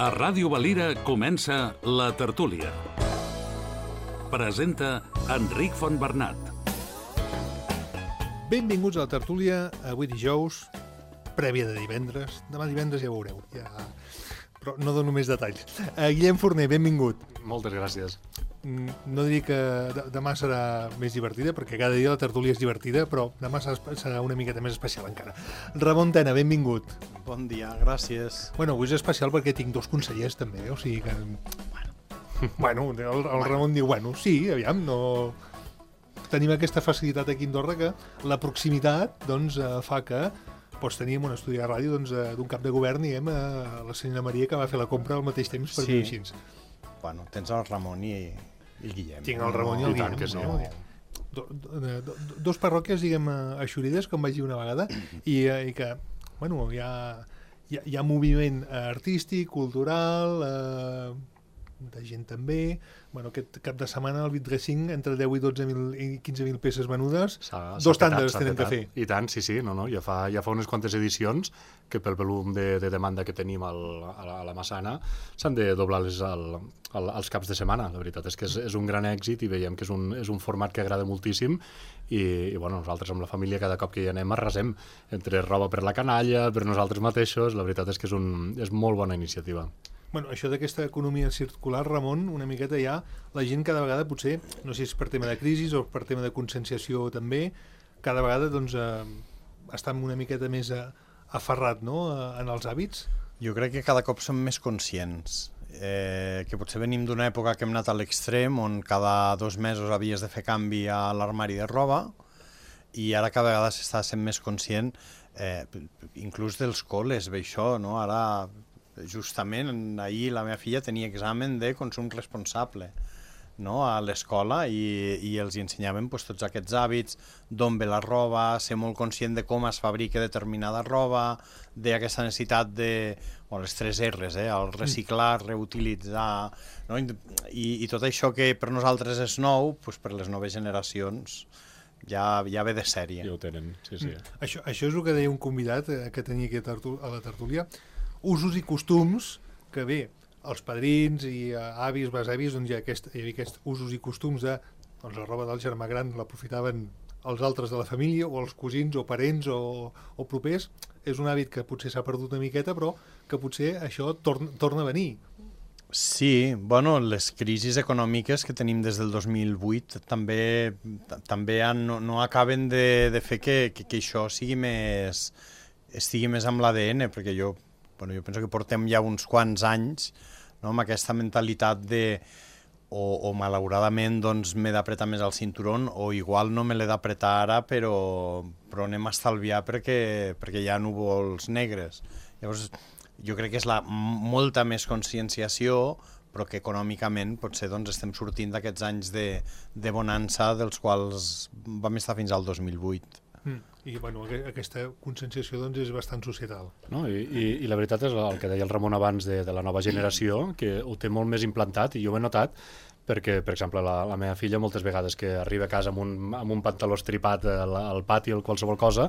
A Ràdio Valira comença La Tertúlia. Presenta Enric Fontbernat. Benvinguts a La Tertúlia, avui dijous, prèvia de divendres. Demà divendres ja ho veureu, però no dono més detalls. Guillem Forner, benvingut. Moltes gràcies. No diria que demà serà més divertida, perquè cada dia la tertúlia és divertida, però demà serà una miqueta més especial encara. Ramon Tena, benvingut. Bon dia, gràcies. Bueno, avui és especial perquè tinc dos consellers també, o sigui que... Bueno, el Ramon diu, bueno, sí, aviam, no... Tenim aquesta facilitat aquí a Andorra que la proximitat doncs, fa que teníem un estudi de ràdio d'un cap de govern i la senyora Maria que va fer la compra al mateix temps per dir així. Bueno, tens el Ramon i el Guillem. Tinc el Ramon i el Guillem. Que sí. Dos parròquies, diguem, eixorides, com vaig dir una vegada, i que, bueno, hi ha moviment artístic, cultural, de gent també. Bueno, aquest cap de setmana el Vitresing entre 10 i 12.000 i 15.000 peces venudes, dos tànderes tenen que fer. I tant, sí, no, ja fa unes quantes edicions que pel volum de demanda que tenim a la Massana s'han de doblar els caps de setmana. La veritat és que és un gran èxit i veiem que és un format que agrada moltíssim i bueno, nosaltres amb la família cada cop que hi anem arrasem entre roba per la canalla, per nosaltres mateixos. La veritat és que és molt bona iniciativa. Bueno, això d'aquesta economia circular, Ramon, una miqueta ja, la gent cada vegada potser, no sé si és per tema de crisi o per tema de conscienciació també, cada vegada doncs, està una miqueta més aferrat, no?, en els hàbits. Jo crec que cada cop som més conscients, que potser venim d'una època que hem anat a l'extrem, on cada 2 mesos havies de fer canvi a l'armari de roba, i ara cada vegada s'està sent més conscient, inclús dels col·les, ve això, no?, ara... Justament ahir la meva filla tenia examen de consum responsable, no?, a l'escola i els ensenyaven tots aquests hàbits, d'on ve la roba, ser molt conscient de com es fabrica determinada roba, d'aquesta necessitat de les 3 R's, el reciclar, reutilitzar, no? I tot això que per nosaltres és nou, per les noves generacions ja ve de sèrie. Ja ho tenen, sí. Això és el que deia un convidat que tenia aquí a la tertúlia, usos i costums que bé, els padrins i avis, besavis, doncs hi havia aquests usos i costums de la roba del germà gran l'aprofitaven els altres de la família o els cosins o parents o propers. És un hàbit que potser s'ha perdut una miqueta, però que potser això torna a venir. Sí, bueno, les crisis econòmiques que tenim des del 2008 també no acaben de fer que això estigui més amb l'ADN, perquè jo penso que portem ja uns quants anys, no, amb aquesta mentalitat de o malauradament doncs, m'he d'apretar més el cinturón o igual no me l'he d'apretar ara però anem a estalviar perquè hi ha núvols negres. Llavors jo crec que és molta més conscienciació, però que econòmicament potser doncs, estem sortint d'aquests anys de bonança dels quals vam estar fins al 2008. I bueno, aquesta conscienciació doncs, és bastant societal. No? I la veritat és el que deia el Ramon abans de la nova generació, que ho té molt més implantat, i jo ho he notat perquè, per exemple, la meva filla moltes vegades que arriba a casa amb un pantaló estripat al pati o qualsevol cosa,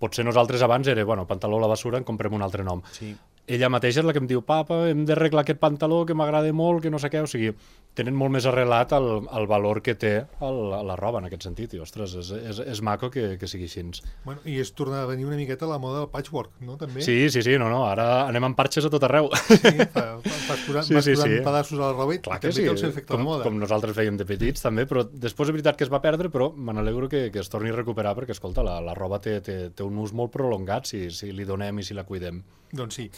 potser nosaltres abans era, pantaló a la basura, en comprem un altre nom. Sí. Ella mateixa és la que em diu, papa, hem d'arreglar aquest pantaló que m'agrada molt, que no sé què, o sigui, tenen molt més arrelat el valor que té la roba en aquest sentit, i ostres, és maco que sigui així. Bueno, i és tornar a venir una miqueta la moda del patchwork, no?, també? Sí, no, ara anem amb parxes a tot arreu. Sí, vas posant pedaços a la roba i també té el seu efecte de moda. Com nosaltres fèiem de petits també, però després és veritat que es va perdre, però me n'alegro que es torni a recuperar, perquè, escolta, la roba té un ús molt prolongat si li donem i si la cuidem. Doncs sí.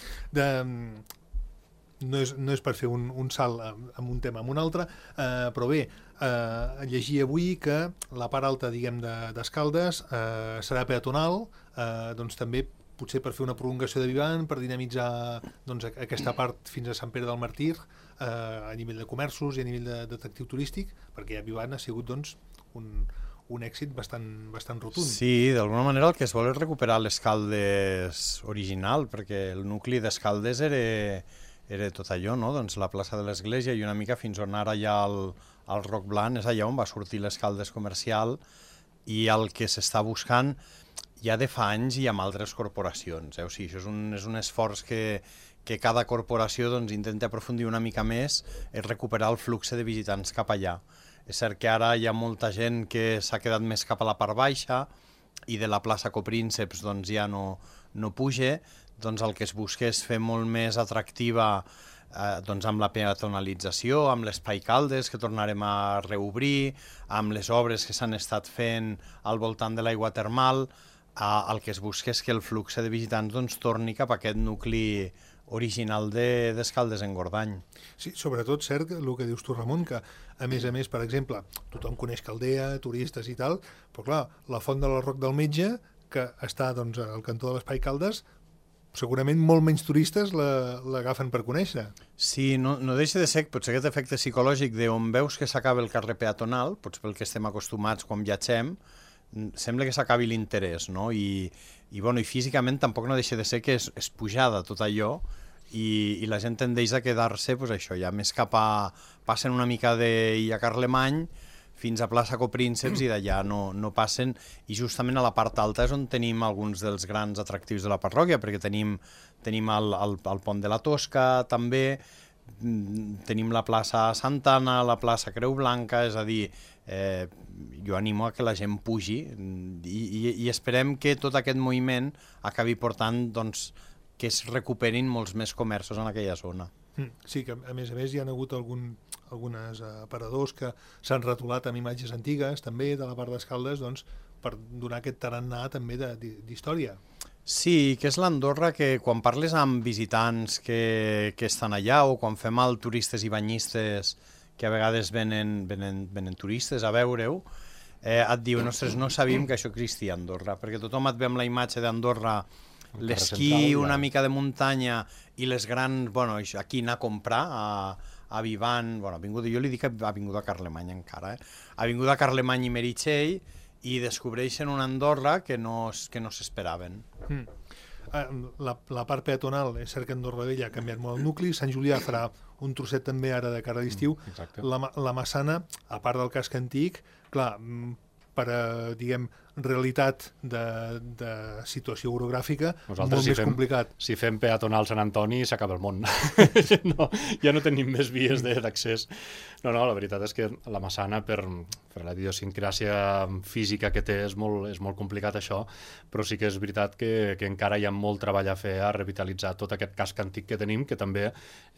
No és per fer un salt amb un tema amb un altre, però bé, llegir avui que la part alta, diguem, d'Escaldes serà peatonal, doncs també potser per fer una prolongació de Vivant, per dinamitzar doncs, aquesta part fins a Sant Pere del Màrtir a nivell de comerços i a nivell d'atractiu turístic, perquè ja Vivant ha sigut doncs, un èxit bastant rotund. Sí, d'alguna manera el que es vol és recuperar l'Escaldes original, perquè el nucli d'Escaldes era tot allò, no? Doncs la plaça de l'Església i una mica fins on ara hi ha el Roc Blanc, és allà on va sortir l'Escaldes comercial, i el que s'està buscant ja de fa anys i amb altres corporacions. O sigui, això és un esforç que que cada corporació doncs, intenta aprofundir una mica més i recuperar el flux de visitants cap allà. És cert que ara hi ha molta gent que s'ha quedat més cap a la part baixa i de la plaça Coprínceps doncs, ja no puja, doncs el que es busca és fer molt més atractiva doncs amb la peatonalització, amb l'Espai Caldes, que tornarem a reobrir, amb les obres que s'han estat fent al voltant de l'aigua termal, el que es busca és que el flux de visitants doncs, torni cap a aquest nucli original d'Escaldes-Engordany. Sí, sobretot, cert, el que dius tu, Ramon, que a més, per exemple, tothom coneix Caldea, turistes i tal, però clar, la Font de l'Arroc del Metge, que està doncs, al cantó de l'Espai Caldes, segurament molt menys turistes l'agafen per conèixer. Sí, no deixa de ser potser aquest efecte psicològic d'on veus que s'acaba el carrer peatonal, potser pel que estem acostumats quan viatgem, sembla que s'acabi l'interès, no? I físicament tampoc no deixa de ser que és pujada tot allò i la gent tendeix a quedar-se pues, això, ja més cap a... passen una mica d'Illa Carlemany fins a plaça Coprínceps i d'allà no passen, i justament a la part alta és on tenim alguns dels grans atractius de la parròquia, perquè tenim el pont de la Tosca també, tenim la plaça Santa Anna, la plaça Creu Blanca, és a dir, jo animo a que la gent pugi i esperem que tot aquest moviment acabi portant doncs, que es recuperin molts més comerços en aquella zona. Sí, que a més hi ha hagut algunes aparadors que s'han retolat amb imatges antigues també de la part d'Escaldes doncs, per donar aquest tarannà també d'història. Sí, que és l'Andorra que quan parles amb visitants que estan allà o quan fem el turistes i banyistes que a vegades venen turistes a veure-ho, et diuen, ostres, no sabíem que això existia a Andorra, perquè tothom et ve amb la imatge d'Andorra, l'esquí, una mica de muntanya i les grans, bueno, aquí anar a comprar a Vivant, bueno, jo li dic Avinguda Carlemany encara, Avinguda Carlemany i Meritxell, i descobreixen una Andorra que no s'esperaven. La part peatonal, és cert que Andorra Vella ha canviat molt el nucli, Sant Julià farà un trosset també ara de cara a l'estiu, la Massana, a part del casc antic, clar, per a, diguem, realitat de situació orogràfica, molt més complicat. Si fem peatonal Sant Antoni, s'acaba el món. Ja no tenim més vies d'accés. No, la veritat és que la Massana, per la idiosincràsia física que té, és molt complicat això, però sí que és veritat que encara hi ha molt treball a fer a revitalitzar tot aquest casc antic que tenim, que també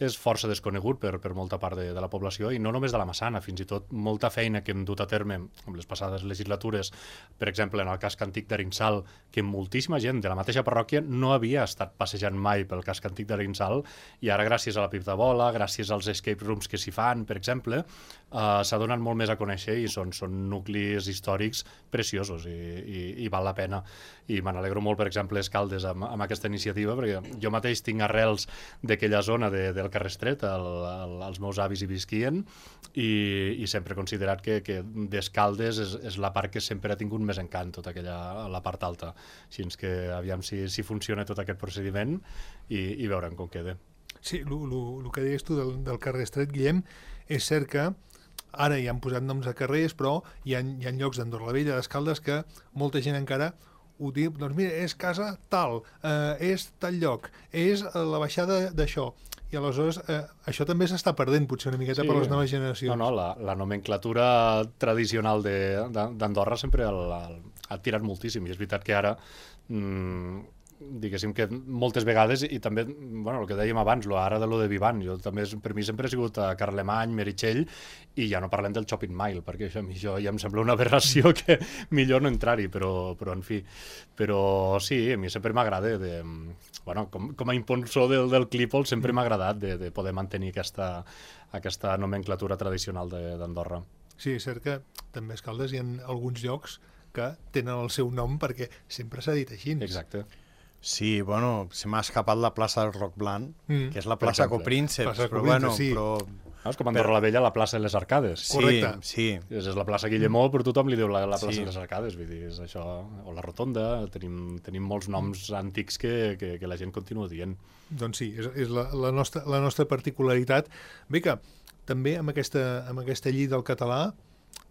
és força desconegut per molta part de la població, i no només de la Massana, fins i tot molta feina que hem dut a terme amb les passades legislatures, per exemple, en el casc antic d'Arinsal, que moltíssima gent de la mateixa parròquia no havia estat passejant mai pel casc antic d'Arinsal, i ara gràcies a la Pip de Bola, gràcies als escape rooms que s'hi fan, per exemple, s'ha donat molt més a conèixer i són nuclis històrics preciosos i val la pena. I me n'alegro molt, per exemple, Escaldes amb aquesta iniciativa, perquè jo mateix tinc arrels d'aquella zona del carrer Estret, els meus avis hi visquien, i sempre he considerat que d'Escaldes és la part que sempre ha tingut més encant, tota la part alta. Així que aviam si funciona tot aquest procediment i veurem com queda. Sí, el que deies tu del carrer Estret, Guillem, és cert que ara hi han posat noms a carrers, però hi ha llocs d'Andorra la Vella, d'Escaldes, que molta gent encara ho diu, doncs mira, és casa tal, és tal lloc, és la baixada d'això. I aleshores això també s'està perdent potser una miqueta per les noves generacions. No, la nomenclatura tradicional d'Andorra sempre ha tirat moltíssim, i és veritat que ara diguéssim que moltes vegades, i també, bueno, el que dèiem abans, ara de lo de Vivant, per mi sempre ha sigut a Carlemany, Meritxell, i ja no parlem del Shopping Mile, perquè això ja em sembla una aberració que millor no entrar-hi, però en fi. Però sí, a mi sempre m'agrada, bueno, com a impulsor del Clípol, sempre m'ha agradat de poder mantenir aquesta nomenclatura tradicional d'Andorra. Sí, és cert que també a Escaldes hi ha alguns llocs que tenen el seu nom perquè sempre s'ha dit així. Exacte. Sí, bueno, se m'ha escapat la plaça del Roc Blanc, que és la plaça Coprínceps, però bueno, sí. És com Andorra la Vella, la plaça de les Arcades. Correcte. Sí. És la plaça Guillemó, però tothom li diu la plaça de les Arcades, vull dir, és això, o la Rotonda, tenim molts noms antics que la gent continua dient. Doncs sí, és la nostra particularitat. Bé que també amb aquesta llei del català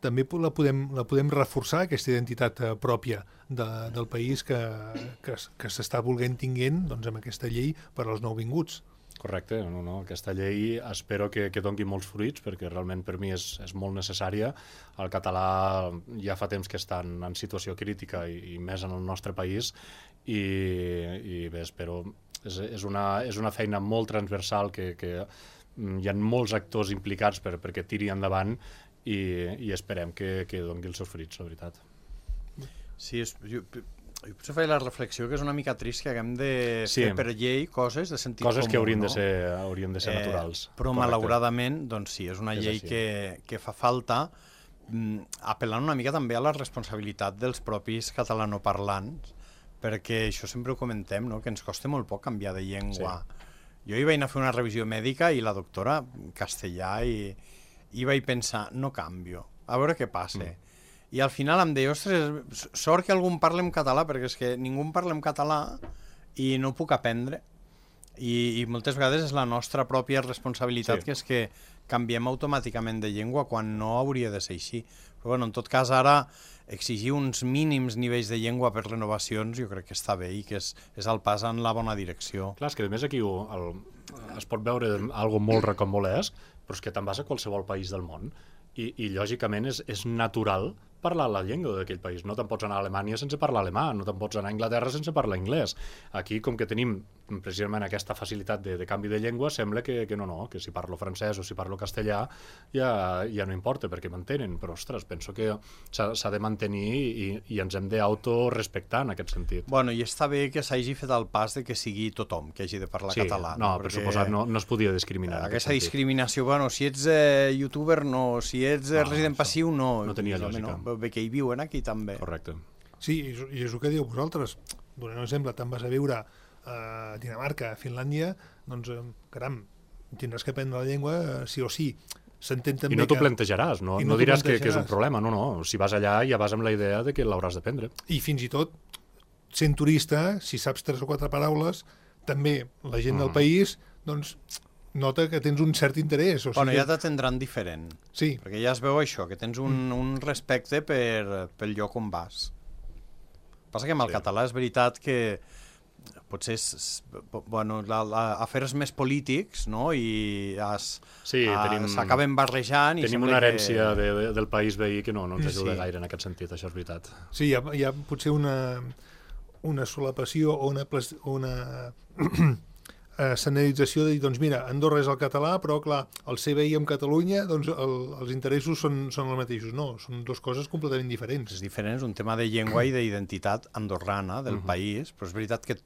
també la podem reforçar, aquesta identitat pròpia del país que s'està volent tinguent doncs, amb aquesta llei per als nouvinguts. Correcte, no. Aquesta llei espero que doni molts fruits, perquè realment per mi és molt necessària. El català ja fa temps que està en situació crítica i més en el nostre país, i bé, espero... És una feina molt transversal que hi ha molts actors implicats perquè tiri endavant, i esperem que doni els seus fruits, la veritat. Sí, jo potser faig la reflexió que és una mica trist que haguem de fer per llei coses de sentit comú. Coses que haurien de ser naturals. Però malauradament, doncs sí, és una llei que fa falta, apel·lant una mica també a la responsabilitat dels propis catalanoparlants, perquè això sempre ho comentem, no? Que ens costa molt poc canviar de llengua. Sí. Jo hi vaig anar a fer una revisió mèdica i la doctora castellà i vaig pensar, no canvio, a veure què passa. I al final em deia, ostres, sort que algú en parla en català, perquè és que ningú en parla en català i no ho puc aprendre. I moltes vegades és la nostra pròpia responsabilitat, que és que canviem automàticament de llengua quan no hauria de ser així. Però bueno, en tot cas, ara exigir uns mínims nivells de llengua per renovacions jo crec que està bé i que és el pas en la bona direcció. Clar, és que a més aquí es pot veure algo molt rocambolesc, però és que te'n vas a qualsevol país del món i lògicament és natural parlar la llengua d'aquell país. No te'n pots anar a Alemanya sense parlar alemà, no te'n pots anar a Anglaterra sense parlar anglès. Aquí, com que tenim precisament aquesta facilitat de canvi de llengua, sembla que no, que si parlo francès o si parlo castellà ja no importa perquè m'entenen, però ostres, penso que s'ha de mantenir i ens hem d'autorespectar en aquest sentit. Bueno, i està bé que s'hagi fet el pas de que sigui tothom que hagi de parlar català. No, per suposat no es podia discriminar. Aquesta discriminació, bueno, si ets youtuber no, si ets resident passiu no. No tenia lògica. Bé que hi viuen aquí també. Correcte. Sí, i és el que diu vosaltres. Donant un exemple, te'n vas a viure a Dinamarca, a Finlàndia, doncs, caram, tindràs que aprendre la llengua sí o sí. S'entén també I no t'ho plantejaràs, no diràs que és un problema, no. Si vas allà ja vas amb la idea de que l'hauràs d'aprendre. I fins i tot, sent turista, si saps 3 o 4 paraules, també la gent del país, doncs, nota que tens un cert interès. Bueno, ja t'atendran diferent. Sí. Perquè ja es veu això, que tens un respecte pel lloc on vas. Passa que amb el català és veritat que potser afers més polítics, no? I s'acaben barrejant. Tenim una herència del país veí que no ens ajuda gaire en aquest sentit, això és veritat. Sí, hi ha potser una solapació o una escenarització de dir, doncs mira, Andorra és el català, però clar, el CBI amb Catalunya, doncs els interessos són els mateixos. No, són dues coses completament diferents. És diferent, és un tema de llengua i d'identitat andorrana del país, però és veritat que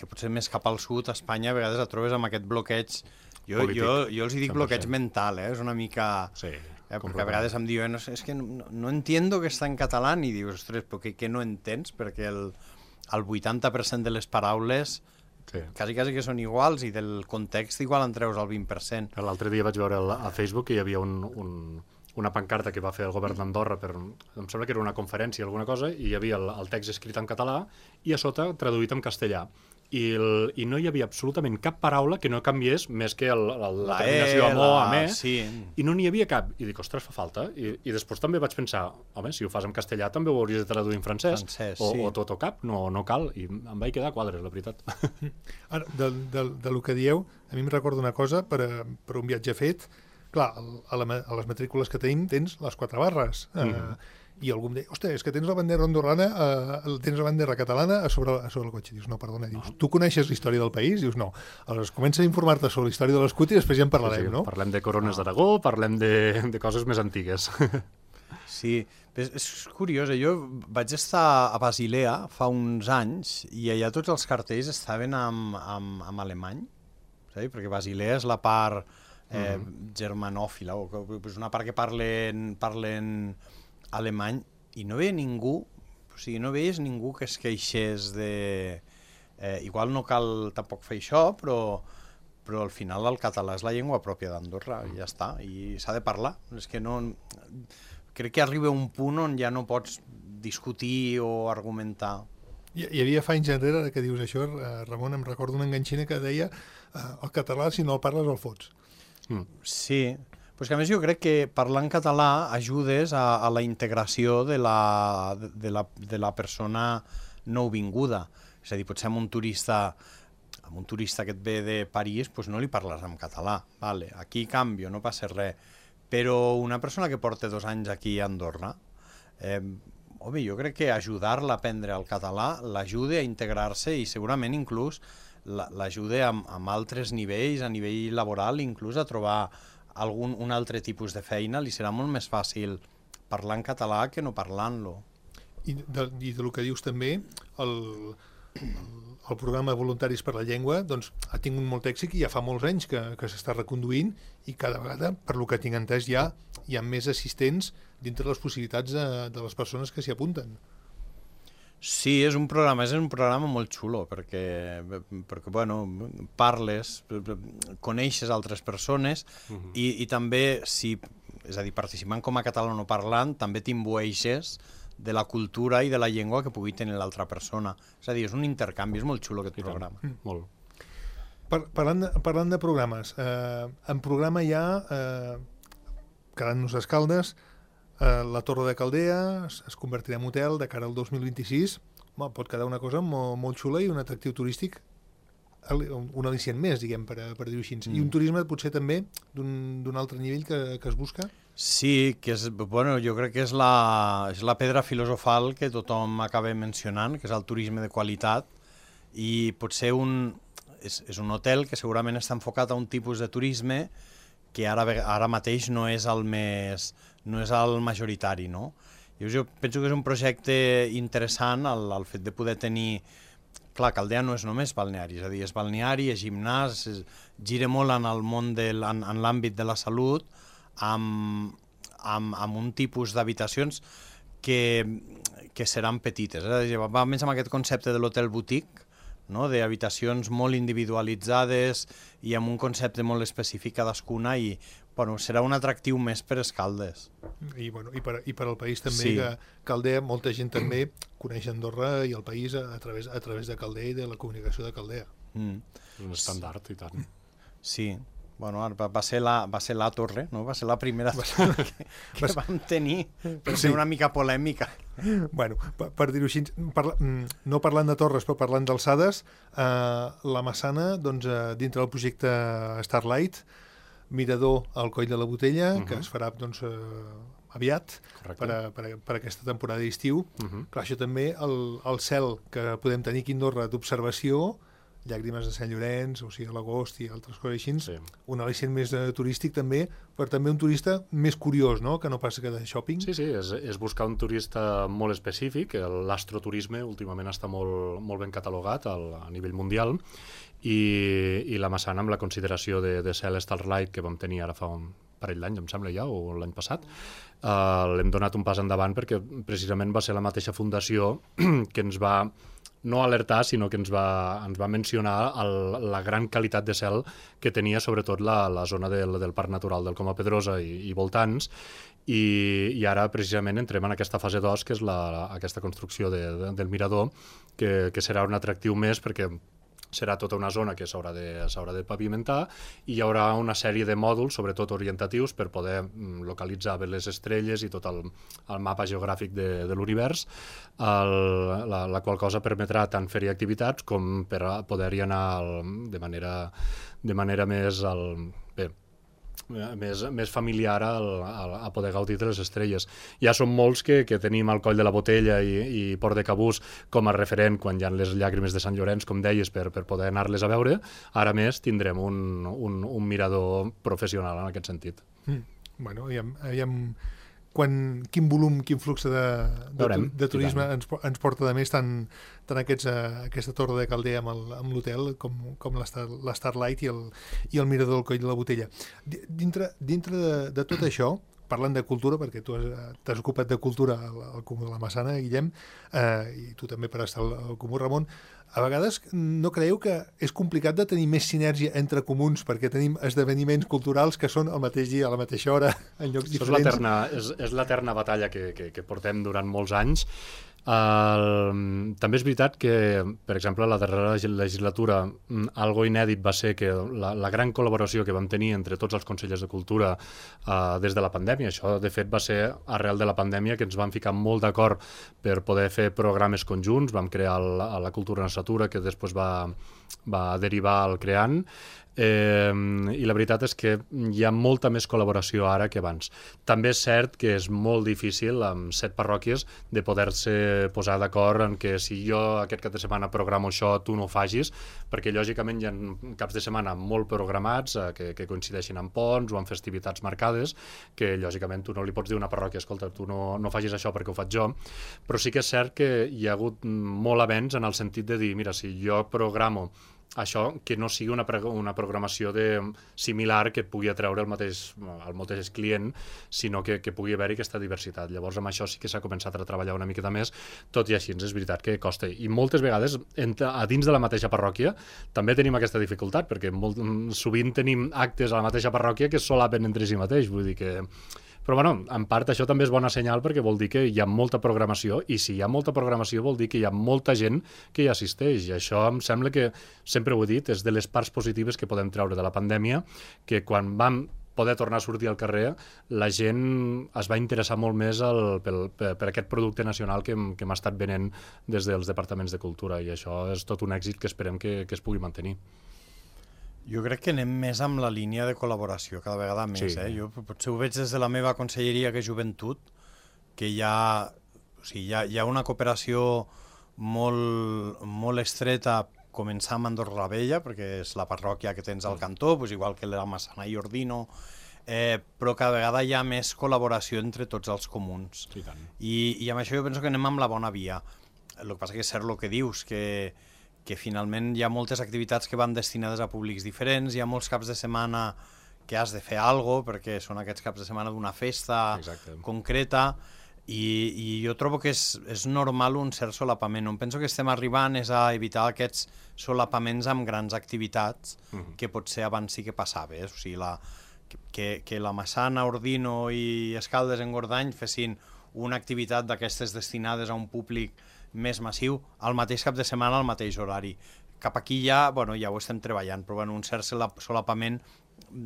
potser més cap al sud, a Espanya, a vegades et trobes amb aquest bloqueig. Jo els dic bloqueig mental, és una mica... Sí, perquè a vegades em diuen, és que no entiendo que està en català, i dius, ostres, però què no entens? Perquè el 80% de les paraules quasi que són iguals i del context igual en treus el 20%. L'altre dia vaig veure a Facebook que hi havia una pancarta que va fer el govern d'Andorra em sembla que era una conferència o alguna cosa, i hi havia el text escrit en català i a sota traduït en castellà. I no hi havia absolutament cap paraula que no canviés més que la terminació amb o, amb e, i no n'hi havia cap. I dic, ostres, fa falta. I després també vaig pensar, home, si ho fas en castellà també ho hauries de traduir en francès o tot o cap, no cal. I em vaig quedar a quadres, la veritat. Ara, del que dieu, a mi em recorda una cosa, per un viatge fet, clar, a les matrícules que tenim tens les 4 barres, i algú em deia, ostres, és que tens la bandera andorrana, tens la bandera catalana a sobre el cotxe. Dius, no, perdona, tu coneixes la història del país? Dius, no. Aleshores, comença a informar-te sobre la història de l'escut i després ja en parlarem, no? Parlem de corones d'Aragó, parlem de coses més antigues. Sí, és curiós, jo vaig estar a Basilea fa uns anys i allà tots els cartells estaven en alemany, saps? Perquè Basilea és la part germanòfila, o és una part que parlen alemany, i no veia ningú, o sigui, no veies ningú que es queixés de... igual no cal tampoc fer això, però al final el català és la llengua pròpia d'Andorra, i ja està, i s'ha de parlar. És que no... Crec que arriba un punt on ja no pots discutir o argumentar. Hi havia fa anys enrere que dius això, Ramon, em recordo una enganxina que deia el català, si no el parles, el fots. Sí, però és que a més jo crec que parlar en català ajudes a la integració de la persona nouvinguda. És a dir, potser amb un turista a un turista que et ve de París pues no li parles en català. Vale, aquí canvio, no passa res. Però una persona que porta 2 anys aquí a Andorra, jo crec que ajudar-la a aprendre el català l'ajuda a integrar-se i segurament inclús l'ajuda amb altres nivells, a nivell laboral, inclús a trobar un altre tipus de feina. Li serà molt més fàcil parlar en català que no parlant-lo. I del que dius també, el programa Voluntaris per la Llengua doncs, ha tingut molt èxit i ja fa molts anys que s'està reconduint i cada vegada, per lo que tinc entès, hi ha més assistents dintre les possibilitats de les persones que s'hi apunten. Sí, és un programa molt xulo perquè bueno, parles, coneixes altres persones i també, és a dir, participant com a catalanoparlant, també t'imbueixes de la cultura i de la llengua que pugui tenir l'altra persona. És a dir, és un intercanvi, és molt xulo aquest programa. Molt. Parlant de programes, en programa hi ha, quedant-nos a Escaldes, la Torre de Caldea es convertirà en hotel de cara al 2026. Pot quedar una cosa molt xula i un atractiu turístic, un al·licient més, diguem, per dir-ho així. I un turisme potser també d'un altre nivell que es busca? Sí, jo crec que és la pedra filosofal que tothom acaba mencionant, que és el turisme de qualitat, i potser és un hotel que segurament està enfocat a un tipus de turisme que ara mateix no és el majoritari, no? Jo penso que és un projecte interessant el fet de poder tenir... Clar, Caldea no és només balneari, és a dir, és balneari, és gimnàs, gira molt en el món en l'àmbit de la salut, amb un tipus d'habitacions que seran petites. Va més amb aquest concepte de l'hotel boutique, no? D'habitacions molt individualitzades i amb un concepte molt específic cadascuna i serà un atractiu més per Escaldes. I per al país també, que Caldea, molta gent també coneix Andorra i el país a través de Caldea i de la comunicació de Caldea. Un estàndard, i tant. Sí. Va ser la torre, no? Va ser la primera torre que vam tenir, per ser una mica polèmica. Per dir-ho així, no parlant de torres, però parlant d'alçades, la Massana, dintre del projecte Starlight, mirador al Coll de la Botella, que es farà aviat per aquesta temporada d'estiu. Clar, això també, el cel que podem tenir aquí a Andorra d'observació, Llàgrimes de Sant Llorenç, o sigui, a l'agost i altres coses així, un al·licient més turístic també, però també un turista més curiós, no?, que no passa que de shopping. Sí, és buscar un turista molt específic. L'astroturisme últimament està molt ben catalogat a nivell mundial, i la Massana, amb la consideració de cel Starlight que vam tenir ara fa un parell d'anys, em sembla ja, o l'any passat, l'hem donat un pas endavant perquè precisament va ser la mateixa fundació que ens va no alertar, sinó que ens va mencionar la gran qualitat de cel que tenia sobretot la zona del Parc Natural del Coma Pedrosa i voltants, i ara precisament entrem en aquesta fase 2, que és aquesta construcció del mirador, que serà un atractiu més perquè serà tota una zona que s'haurà de pavimentar i hi haurà una sèrie de mòduls, sobretot orientatius, per poder localitzar bé les estrelles i tot el mapa geogràfic de l'univers, la qual cosa permetrà tant fer-hi activitats com per poder-hi anar de manera més familiar a poder gaudir de les estrelles. Ja són molts que tenim el Coll de la Botella i Port de Cabús com a referent quan hi ha les llàgrimes de Sant Llorenç, com deies, per poder anar-les a veure. Ara més tindrem un mirador professional en aquest sentit. Quin volum, quin flux de turisme ens porta de més tant aquesta Torre de Caldea amb l'hotel com la Starlight i el mirador del Coll de la Botella. Dintre de tot això, parlant de cultura, perquè tu t'has ocupat de cultura al Comú de la Massana, Guillem, i tu també per estar al Comú, Ramon, a vegades no creieu que és complicat de tenir més sinergia entre comuns perquè tenim esdeveniments culturals que són al mateix dia, a la mateixa hora, en llocs diferents? És l'eterna batalla que portem durant molts anys. També és veritat que, per exemple, la darrera legislatura algo inèdit va ser que la gran col·laboració que vam tenir entre tots els consellers de cultura des de la pandèmia. Això, de fet, va ser arrel de la pandèmia que ens vam ficar molt d'acord per poder fer programes conjunts. Vam crear la Cultura Natura, que després va derivar al Creant, i la veritat és que hi ha molta més col·laboració ara que abans. També és cert que és molt difícil amb 7 parròquies de poder-se posar d'acord en que si jo aquest cap de setmana programo això, tu no ho facis, perquè lògicament hi ha caps de setmana molt programats que coincideixin amb ponts o amb festivitats marcades, que lògicament tu no li pots dir a una parròquia, escolta, tu no facis això perquè ho faig jo, però sí que és cert que hi ha hagut molt avenç en el sentit de dir, mira, si jo programo això, que no sigui una programació similar que et pugui atreure el mateix client, sinó que pugui haver-hi aquesta diversitat. Llavors, amb això sí que s'ha començat a treballar una miqueta més, tot i així és veritat que costa. I moltes vegades, a dins de la mateixa parròquia, també tenim aquesta dificultat, perquè sovint tenim actes a la mateixa parròquia que es solapen entre si mateix, vull dir que... Però, bueno, en part això també és bona senyal perquè vol dir que hi ha molta programació, i si hi ha molta programació vol dir que hi ha molta gent que hi assisteix, i això em sembla que, sempre ho he dit, és de les parts positives que podem treure de la pandèmia, que quan vam poder tornar a sortir al carrer, la gent es va interessar molt més per aquest producte nacional que hem estat venent des dels departaments de cultura, i això és tot un èxit que esperem que es pugui mantenir. Jo crec que anem més amb la línia de col·laboració, cada vegada més. Sí. Jo potser ho veig des de la meva conselleria, que és Joventut, que hi ha una cooperació molt estreta, començar amb Andorra la Vella, perquè és la parròquia que tens al cantó, igual que la Massana i Ordino, però cada vegada hi ha més col·laboració entre tots els comuns. Sí, tant. I amb això jo penso que anem amb la bona via. El que passa que és cert el que dius, que finalment hi ha moltes activitats que van destinades a públics diferents, hi ha molts caps de setmana que has de fer alguna cosa, perquè són aquests caps de setmana d'una festa concreta, i jo trobo que és normal un cert solapament. On penso que estem arribant és a evitar aquests solapaments amb grans activitats, que potser abans sí que passava. O sigui, que la Massana, Ordino i Escaldes en Gordany fessin una activitat d'aquestes destinades a un públic més massiu, al mateix cap de setmana, al mateix horari. Cap aquí ja ho estem treballant, però un cert solapament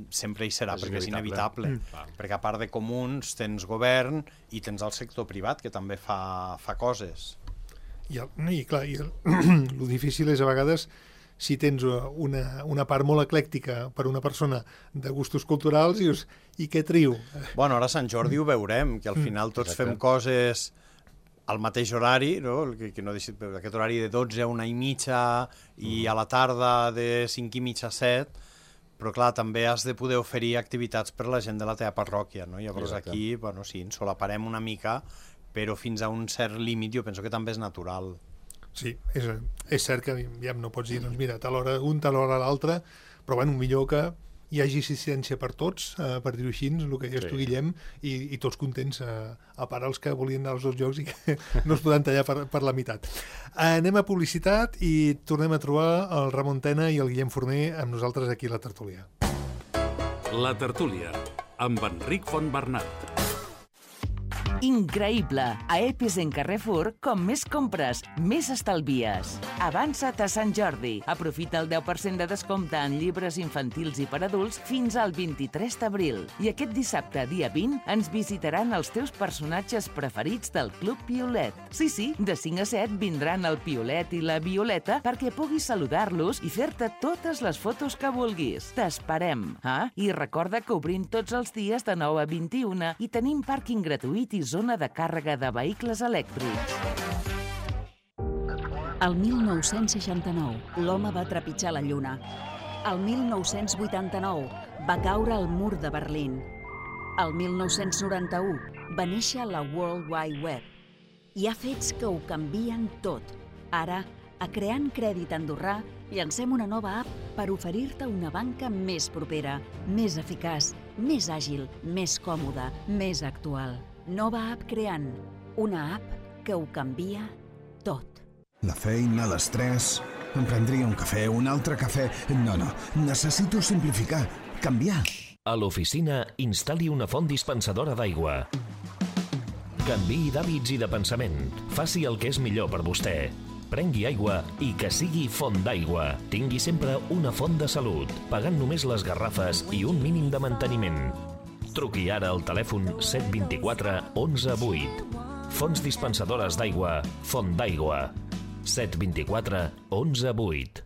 sempre hi serà, perquè és inevitable. Perquè a part de comuns tens govern i tens el sector privat, que també fa coses. I el difícil és a vegades si tens una part molt eclèctica per una persona de gustos culturals, dius, i què trio? Bueno, ara a Sant Jordi ho veurem, que al final tots fem coses al mateix horari, no? Aquest horari de 12 a 1:30 i a la tarda de 5:30 a 7, però clar, també has de poder oferir activitats per la gent de la teva parròquia, no? Llavors aquí, sí, ens solaparem una mica, però fins a un cert límit jo penso que també és natural. Sí, és cert que ja no pots dir, doncs mira, tal hora un, tal hora l'altre, però millor que hi hagi assistència per tots, per dir-ho així, el que deies tu, Guillem, i tots contents, a part els que volien anar als dos llocs i que no es poden tallar per la meitat. Anem a publicitat i tornem a trobar el Ramon Tena i el Guillem Forner amb nosaltres aquí a la tertúlia. La tertúlia, amb Enric Fontbernat. Increïble! A Episen Carrefour, com més compres, més estalvies. Avança't a Sant Jordi. Aprofita el 10% de descompte en llibres infantils i per adults fins al 23 d'abril. I aquest dissabte, dia 20, ens visitaran els teus personatges preferits del Club Piolet. Sí, de 5 a 7 vindran el Piolet i la Violeta perquè puguis saludar-los i fer-te totes les fotos que vulguis. T'esperem! I recorda que obrim tots els dies de 9 a 21 i tenim pàrquing gratuït i zona de càrrega de vehicles elèctrics. El 1969, l'home va trepitjar la Lluna. El 1989, va caure el mur de Berlín. El 1991, va néixer la World Wide Web. Hi ha fets que ho canvien tot. Ara, a Creant Crèdit Andorrà, llancem una nova app per oferir-te una banca més propera, més eficaç, més àgil, més còmoda, més actual. Nova app Creant, una app que ho canvia tot. La feina, l'estrès... Em prendria un cafè, un altre cafè... No, necessito simplificar, canviar. A l'oficina, instal·li una font dispensadora d'aigua. Canviï d'hàbits i de pensament. Faci el que és millor per vostè. Prengui aigua i que sigui font d'aigua. Tingui sempre una font de salut, pagant només les garrafes i un mínim de manteniment. Truqui ara al telèfon 724 11 8. Fonts dispensadores d'aigua, Font d'aigua. 724 11 8.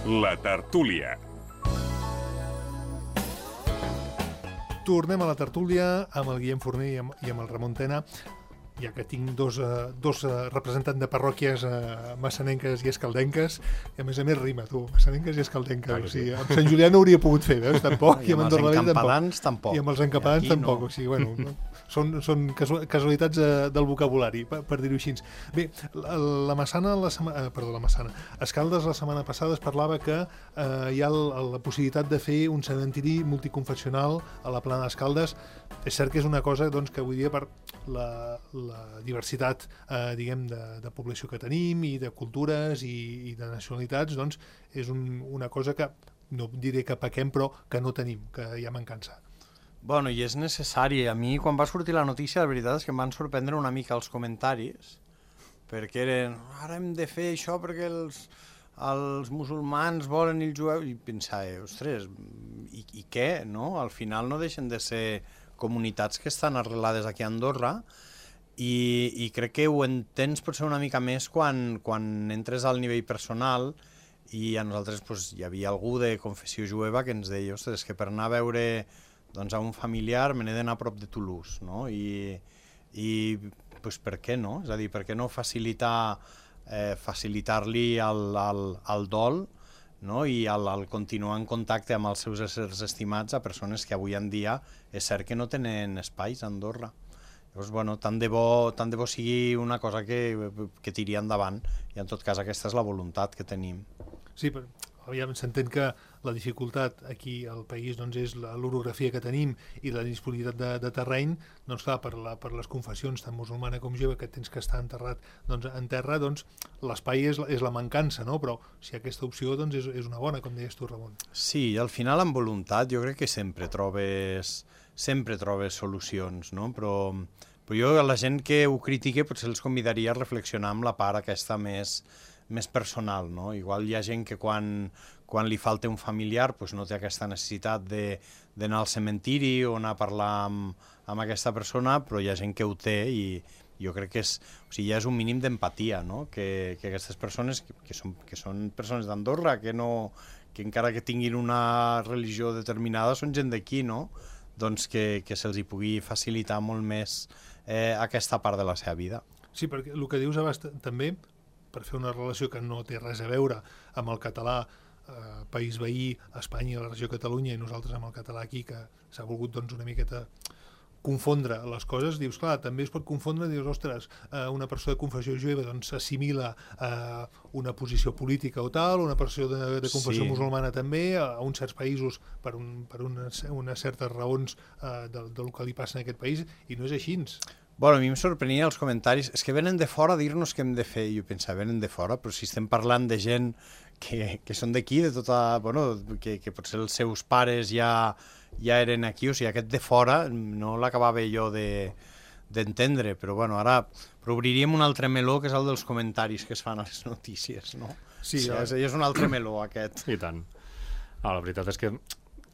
La tertúlia. Tornem a la tertúlia amb el Guillem Forner i amb el Ramon Tena, ja que tinc dos representants de parròquies massanenques i escaldenques, i a més rima, tu, massanenques i escaldenques. O sigui, amb Sant Julià no hauria pogut fer, veus? Tampoc, i amb Andorra la Vella tampoc. I amb els encampadans tampoc. O sigui, bueno, són casualitats del vocabulari, per dir-ho així. Bé, la Massana, Escaldes la setmana passada es parlava que hi ha la possibilitat de fer un cementiri multiconfessional a la Plana d'Escaldes. És cert que és una cosa doncs, que avui dia per la diversitat diguem de població que tenim i de cultures i de nacionalitats, doncs és una cosa que no diré que pequem, però que no tenim, que hi ha mancança. Bueno, i és necessari. A mi, quan va sortir la notícia, la veritat és que em van sorprendre una mica els comentaris, perquè eren, ara hem de fer això perquè els musulmans volen i els jueus, i pensava, ostres, i què, no? Al final no deixen de ser comunitats que estan arrelades aquí a Andorra, i crec que ho entens potser una mica més quan entres al nivell personal, i a nosaltres pues, hi havia algú de confessió jueva que ens deia, ostres, que per anar a veure doncs, a un familiar me n'he d'anar a prop de Toulouse, no? I pues, per què no? És a dir, per què no facilitar-li el dol, no? I el continuar en contacte amb els seus éssers estimats a persones que avui en dia és cert que no tenen espais a Andorra. Llavors, bueno, tant de bo sigui una cosa que tiri endavant, i en tot cas aquesta és la voluntat que tenim. Sí, però s'entén que la dificultat aquí al país doncs, és l'orografia que tenim i la disponibilitat de terreny. Doncs clar, per les confessions tant musulmana com jueva, que tens que estar enterrat doncs, en terra, doncs l'espai és la mancança, no? Però si aquesta opció doncs, és una bona, com deies tu, Ramon. Sí, al final amb voluntat jo crec que sempre trobes solucions, no? Però jo a la gent que ho critique potser els convidaria a reflexionar amb la part aquesta més personal, no? Igual hi ha gent que quan li falta un familiar doncs no té aquesta necessitat d'anar al cementiri o anar a parlar amb aquesta persona, però hi ha gent que ho té, i jo crec que ja és un mínim d'empatia, no? Que aquestes persones, que són persones d'Andorra, que encara que tinguin una religió determinada són gent d'aquí, no? Doncs que se'ls hi pugui facilitar molt més aquesta part de la seva vida. Sí, perquè el que dius abans també, per fer una relació que no té res a veure amb el català país veí, Espanya, la regió Catalunya, i nosaltres amb el català aquí, que s'ha volgut doncs, una miqueta confondre les coses, dius, clar, també es pot confondre, dius, ostres, una persona de confessió jueva doncs s'assimila a una posició política o tal, una persona de confessió musulmana també, a uns certs països per unes certes raons del que li passa en aquest país, i no és així. Bueno, a mi em sorprenia els comentaris, és que venen de fora a dir-nos què hem de fer, i jo pensava, venen de fora, però si estem parlant de gent que són d'aquí, de tota, bueno, que potser els seus pares ja eren aquí, o sigui, aquest de fora no l'acabava jo d'entendre, però bueno, ara obriríem un altre meló, que és el dels comentaris que es fan a les notícies, no? Sí, és un altre meló, aquest. I tant. La veritat és que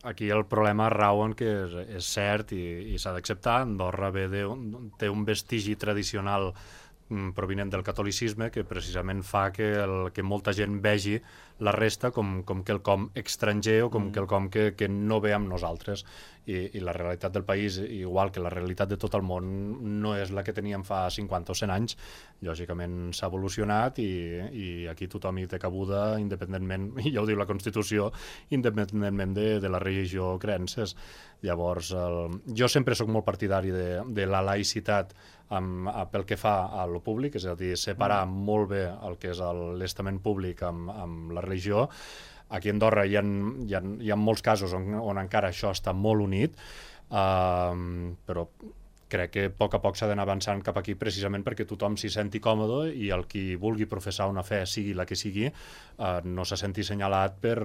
aquí el problema rau en que és cert i s'ha d'acceptar. Andorra té un vestigi tradicional provinent del catolicisme que precisament fa que molta gent vegi la resta com quelcom estranger o com quelcom que no ve amb nosaltres. I la realitat del país, igual que la realitat de tot el món, no és la que teníem fa 50 o 100 anys. Lògicament s'ha evolucionat i aquí tothom hi té cabuda independentment, i ja ho diu la Constitució, independentment de la religió o creences. Llavors, jo sempre sóc molt partidari de la laïcitat pel que fa a lo públic, és a dir, separar molt bé el que és l'estament públic amb la religió. Aquí a Andorra hi ha molts casos on encara això està molt unit, però crec que a poc s'ha d'anar avançant cap aquí precisament perquè tothom s'hi senti còmode i el qui vulgui professar una fe, sigui la que sigui, no se senti assenyalat per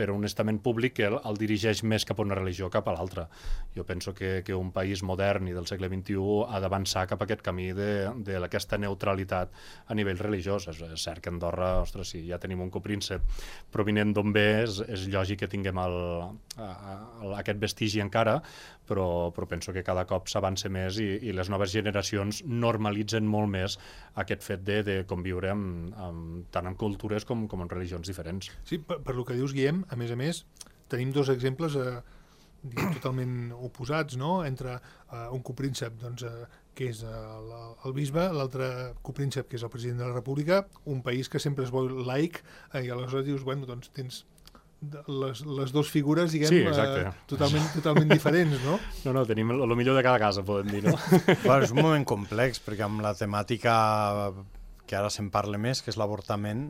un estament públic que el dirigeix més cap a una religió cap a l'altra. Jo penso que un país modern i del segle XXI ha d'avançar cap a aquest camí d'aquesta neutralitat a nivell religiós. És cert que a Andorra, ostres, si ja tenim un copríncep provinent d'on ve, és lògic que tinguem aquest vestigi encara, però penso que cada cop cop s'avança més i les noves generacions normalitzen molt més aquest fet de conviure tant en cultures com en religions diferents. Sí, per lo que dius, Guillem, a més, tenim dos exemples totalment oposats, no? Entre un copríncep, doncs, que és el bisbe, l'altre copríncep, que és el president de la República, un país que sempre es vol laic, i aleshores dius, bueno, doncs tens les dues figures, diguem, totalment diferents, no? No, tenim el millor de cada casa, podem dir, no? Bueno, és un moment complex, perquè amb la temàtica que ara se'n parla més, que és l'avortament,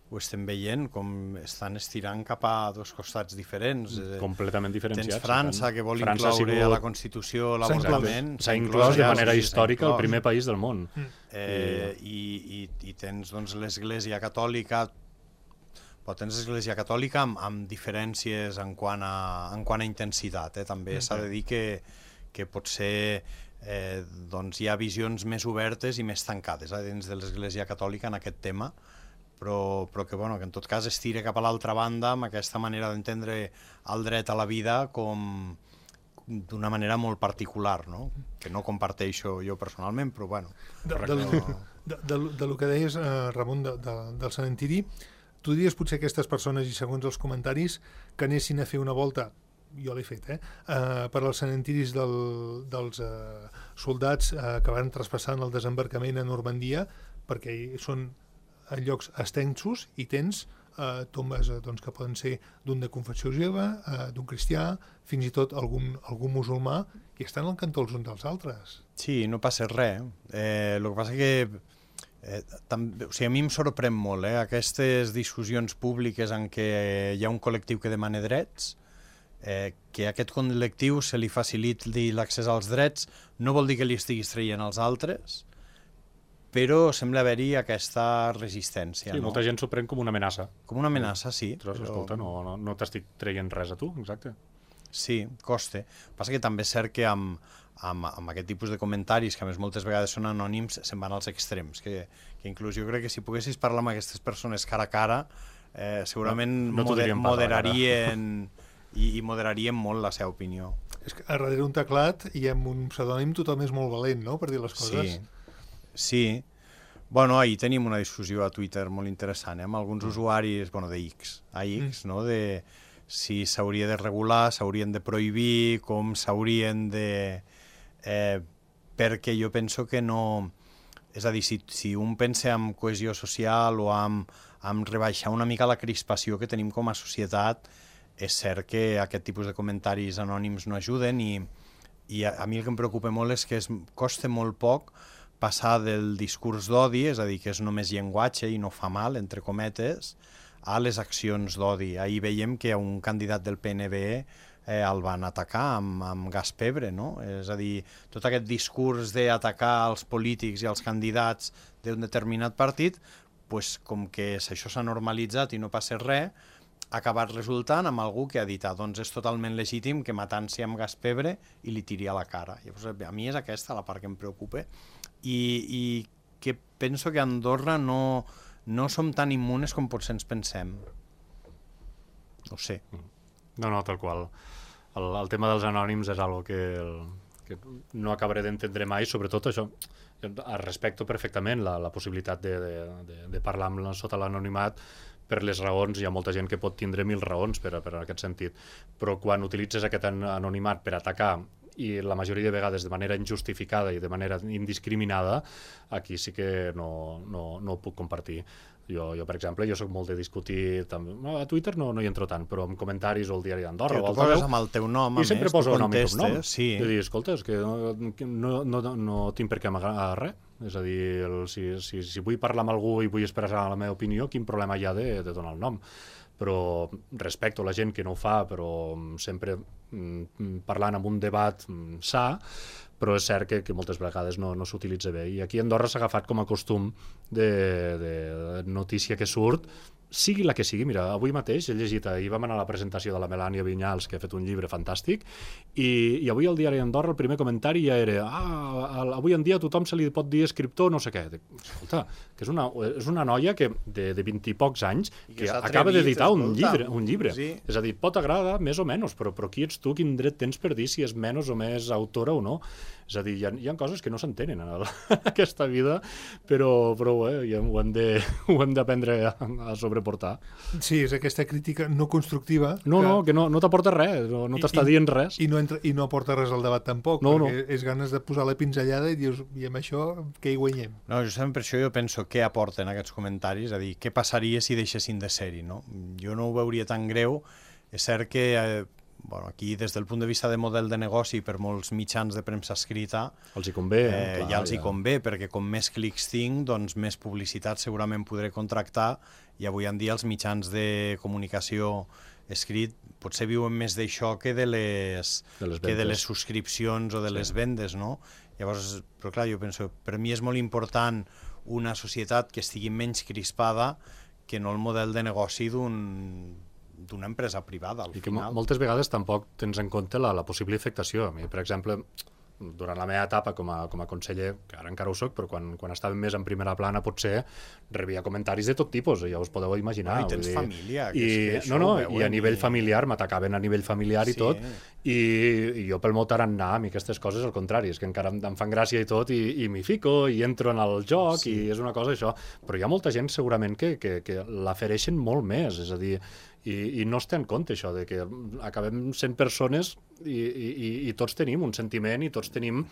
ho estem veient, com estan estirant cap a dos costats diferents. Completament diferenciats. Tens França, que vol incloure a la Constitució l'avortament. S'ha inclòs de manera històrica el primer país del món. I tens l'Església Catòlica, però tens l'Església Catòlica amb diferències en quant a intensitat. També s'ha de dir que potser hi ha visions més obertes i més tancades dins de l'Església Catòlica en aquest tema, però que en tot cas es tira cap a l'altra banda amb aquesta manera d'entendre el dret a la vida com d'una manera molt particular, no? Que no comparteixo jo personalment, però bueno. De lo que deies, Ramon, del cementiri, tu diries potser aquestes persones, i segons els comentaris, que anessin a fer una volta, jo l'he fet, per als cementiris dels soldats que van traspassant el desembarcament a Normandia, perquè són en llocs extensos i tens tombes que poden ser d'un de confessió jueva, d'un cristià, fins i tot algun musulmà, i estan al cantó els uns dels altres. Sí, no passa res. El que passa que a mi em sorprèn molt aquestes discussions públiques en què hi ha un col·lectiu que demana drets, que a aquest col·lectiu se li faciliti l'accés als drets, no vol dir que li estiguis traient als altres, però sembla haver-hi aquesta resistència. Sí, molta gent s'ho pren com una amenaça. Com una amenaça, sí. Escolta, no t'estic traient res a tu, exacte. Sí, costa. Passa que també és cert que amb aquest tipus de comentaris, que a més moltes vegades són anònims, se'n van als extrems, que inclús jo crec que si poguessis parlar amb aquestes persones cara a cara, segurament moderarien i moderarien molt la seva opinió. És que a darrere un teclat i amb un pseudònim tothom és molt valent, no?, per dir les coses. Sí. Bueno, ahir tenim una discussió a Twitter molt interessant, amb alguns usuaris, de X, no?, de si s'hauria de regular, s'haurien de prohibir, com s'haurien de... perquè jo penso que no... És a dir, si un pensa en cohesió social o en rebaixar una mica la crispació que tenim com a societat, és cert que aquest tipus de comentaris anònims no ajuden i a mi el que em preocupa molt és que costa molt poc passar del discurs d'odi, és a dir, que és només llenguatge i no fa mal, entre cometes, a les accions d'odi. Ahir veiem que un candidat del PNB el van atacar amb gas pebre, no? És a dir, tot aquest discurs d'atacar els polítics i els candidats d'un determinat partit, com que això s'ha normalitzat i no passa res, ha acabat resultant amb algú que ha dit doncs és totalment legítim que matant-se amb gas pebre i li tiri a la cara. Llavors, a mi és aquesta la part que em preocupa i que penso que a Andorra no som tan immunes com potser ens pensem. No ho sé. No, tal qual. El tema dels anònims és algo que no acabaré d'entendre mai, sobretot això. Respecto perfectament la possibilitat de parlar sota l'anonimat per les raons, hi ha molta gent que pot tindre 1000 raons per aquest sentit, però quan utilitzes aquest anonimat per atacar i la majoria de vegades de manera injustificada i de manera indiscriminada, aquí sí que no ho puc compartir. Jo, per exemple, jo soc molt de discutir... A Twitter no hi entro tant, però en comentaris o al diari d'Andorra... Tu poses amb el teu nom, i sempre poso nom i cognom. Sí. I dir, escolta, és que no tinc per què amagar res. És a dir, si vull parlar amb algú i vull expressar la meva opinió, quin problema hi ha de donar el nom? Però respecto la gent que no ho fa, però sempre parlant amb un debat sa, però és cert que moltes vegades no s'utilitza bé. I aquí a Andorra s'ha agafat com a costum de notícia que surt, sigui la que sigui, mira, avui mateix he llegit, ahir vam anar a la presentació de la Melània Vinyals, que ha fet un llibre fantàstic, i avui al diari Andorra el primer comentari ja era avui en dia a tothom se li pot dir escriptor, no sé què. Escolta, que és una noia que de 20 i pocs anys que acaba d'editar un llibre. Sí. És a dir, pot agradar més o menys, però qui ets tu, quin dret tens per dir si és menys o més autora o no? És a dir, hi ha coses que no s'entenen en aquesta vida, però ho hem d'aprendre a sobreportar. Sí, és aquesta crítica no constructiva. Que no t'aporta res, no t'està dient res. I no aporta res al debat tampoc, perquè és ganes de posar la pinzellada i dius, i amb això què hi guanyem? No, justament per això jo penso què aporten aquests comentaris, és a dir, què passaria si deixessin de ser-hi, no? Jo no ho veuria tan greu. És cert que aquí, des del punt de vista de model de negoci, per molts mitjans de premsa escrita, els hi convé, ja els hi convé, perquè com més clics tinc, doncs més publicitat segurament podré contractar, i avui en dia els mitjans de comunicació escrit potser viuen més d'això que de les subscripcions o de les vendes, no? Llavors, però clar, jo penso, per mi és molt important una societat que estigui menys crispada que no el model de negoci d'una empresa privada, al final. I que moltes vegades tampoc tens en compte la possible afectació. A mi, per exemple, durant la meva etapa com a conseller, que ara encara ho soc, però quan estàvem més en primera plana potser rebia comentaris de tot tipus, ja us podeu imaginar. I tens família. I a nivell familiar, m'atacaven a nivell familiar i tot, i jo pel meu tarannà, a mi aquestes coses, al contrari, és que encara em fan gràcia i tot, i m'hi fico, i entro en el joc, i és una cosa això. Però hi ha molta gent segurament que l'afereixen molt més, és a dir, i no es té en compte això, de que acabem sent persones i tots tenim un sentiment i tots tenim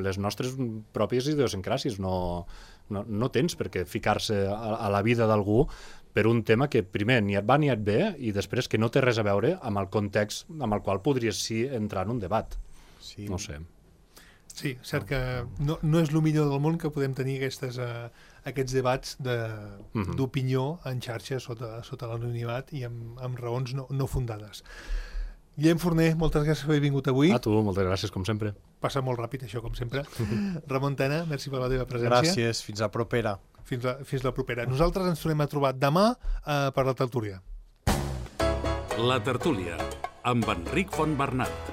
les nostres pròpies idiosincràcies. No tens per què ficar-se a la vida d'algú per un tema que primer ni et va ni et ve i després que no té res a veure amb el context amb el qual podries entrar en un debat. Sí. No sé. Sí, cert que no és el millor del món que podem tenir aquests debats d'opinió en xarxa sota l'anonimat i amb raons no fundades. Guillem Forner, moltes gràcies per haver vingut avui. A tu, moltes gràcies, com sempre. Passa molt ràpid, això, com sempre. Ramon Tena, merci per la teva presència. Gràcies, fins la propera. Fins la propera. Nosaltres ens tornem a trobar demà per la tertúlia. La tertúlia, amb Enric Fontbernat.